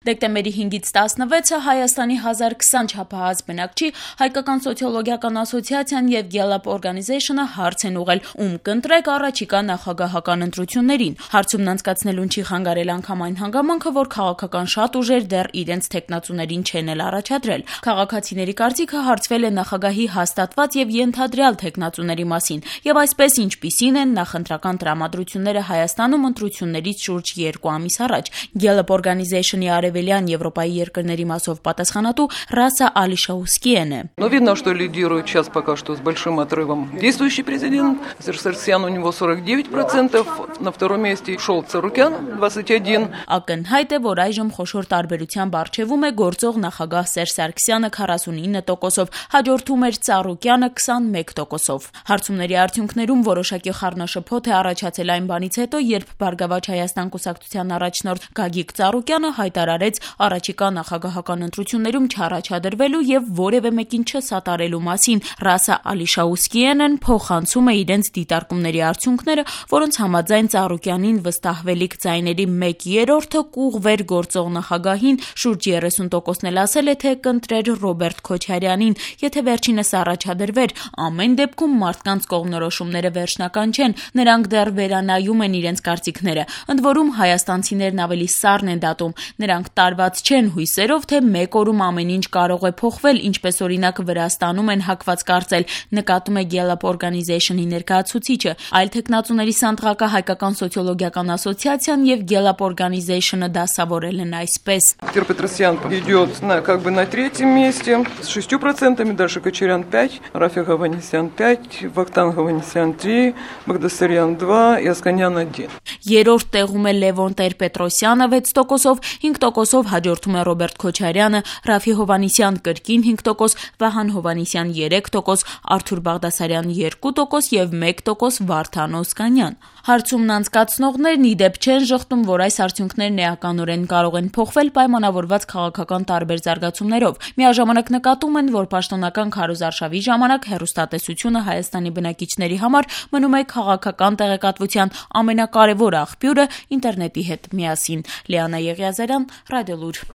Դեկտեմբերի 5-ից 16-ը Հայաստանի 1020 չափահաս բնակչի Հայկական սոցիոլոգիական ասոցիացիան եւ Gallup Organization-ը հարց են ուղղել, ում կընտրեք առաջիկա նախագահական ընտրություններին։ Հարցումն անցկացնելուն չի խանգարել անգամ այն հանգամանքը, որ քաղաքական շատ ուժեր դեռ իրենց թեկնածուներին չեն էլ առաջադրել։ Քաղաքացիների կարծիքը հարցվել է նախագահի հաստատված եւ ենթադրյալ թեկնածուների մասին, եւ այսպես ինչպիսին են նախընտրական տրամադրությունները Հայաստանում ընտրություններից շուրջ 2 ամիս առաջ։ Gallup Organization-ի արևելյան Եվրոպայի երկրների մասով պատասխանատու Ռասա Ալիշաուսկիեն է։ Но видно, что лидирует сейчас пока что с большим отрывом действующий президент. Саркисян у него 49%, на втором месте Шолц Царукян 21%. Ակնհայտ է, որ այժմ խոշոր տարբերությամբ առջևում է գործող նախագահ Սերժ Սարգսյանը 49%-ով, հաջորդում էր Ծառուկյանը 21%-ով։ Հարցումների արդյունքներում որոշակի խառնաշփոթ է առաջացել այն բանից հետո, երբ Բարգավաճ Հայաստան կուսակցության առաջնորդ Գագիկ Ծառուկյանը հայտարարեց առաջիկա նախագահական ընտրություններում չառաջադրվելու եւ որևէ մեկին չսատարելու մասին։ Ռասա Ալիշաուսկիենն փոխանցում է իրենց դիտարկումների արդյունքները, որոնց համաձայն Ծառուկյանին վստահվելիք ձայների 1/3-ը կուղղվեր գործող նախագահին, շուրջ 30%-ն էլ ասել է, թե կընտրեր Ռոբերտ Քոչարյանին, եթե վերջինս առաջադրվեր։ Ամեն դեպքում մարդկանց կողմնորոշումները վերջնական չեն, նրանք դեռ վերանայում են իրենց կարծիքները։ Ընդ որում հայաստանցիներն ավելի սառն են դատում, նրանք տարված չեն հույսերով, թե մեկ օրում ամեն ինչ կարող է փոխվել, ինչպես օրինակ Վրաստանում են հակված կարծել, նկատում է Gallup Organization-ի ներկայացուցիչը։ Այլ թեկնածուների սանդղակը Հայկական սոցիոլոգիական ասոցիացիան եւ Gallup Organization-ը դասավորել են այսպես. Петросян идет на третьем месте с 6%, дальше Кочарян 5%, Рафик Аванесян 5%, Вахтанг Аванесян 3%, Багдасарян 2% и Ասկանյան 1%. Երրորդ տեղում է Լևոն Տեր-Պետրոսյանը 6%-ով, 5%-ով հաջորդում է Ռոբերտ Քոչարյանը, Ռաֆի Հովհաննիսյան կրկին 5%, Վահան Հովհաննիսյան 3%, Արթուր Բաղդասարյան 2% եւ 1% Վարդան Օսկանյան։ Հարցումն անցկացնողներն ի դեպ չեն ժխտում, որ այս արդյունքներն էականորեն կարող են փոխվել պայմանավորված քաղաքական տարբեր զարգացումներով։ Միաժամանակ նկատում են, որ պաշտոնական քարոզարշավի ժամանակ հեռուստատեսությունը Հայաստանի բնակիչների համար մնում է քաղաքական տեղեկատվության ամենակարևոր աղբյուրը ինտերնետի հետ միասին։ Լիանա Եղիազարյան, Ռադիոլուր։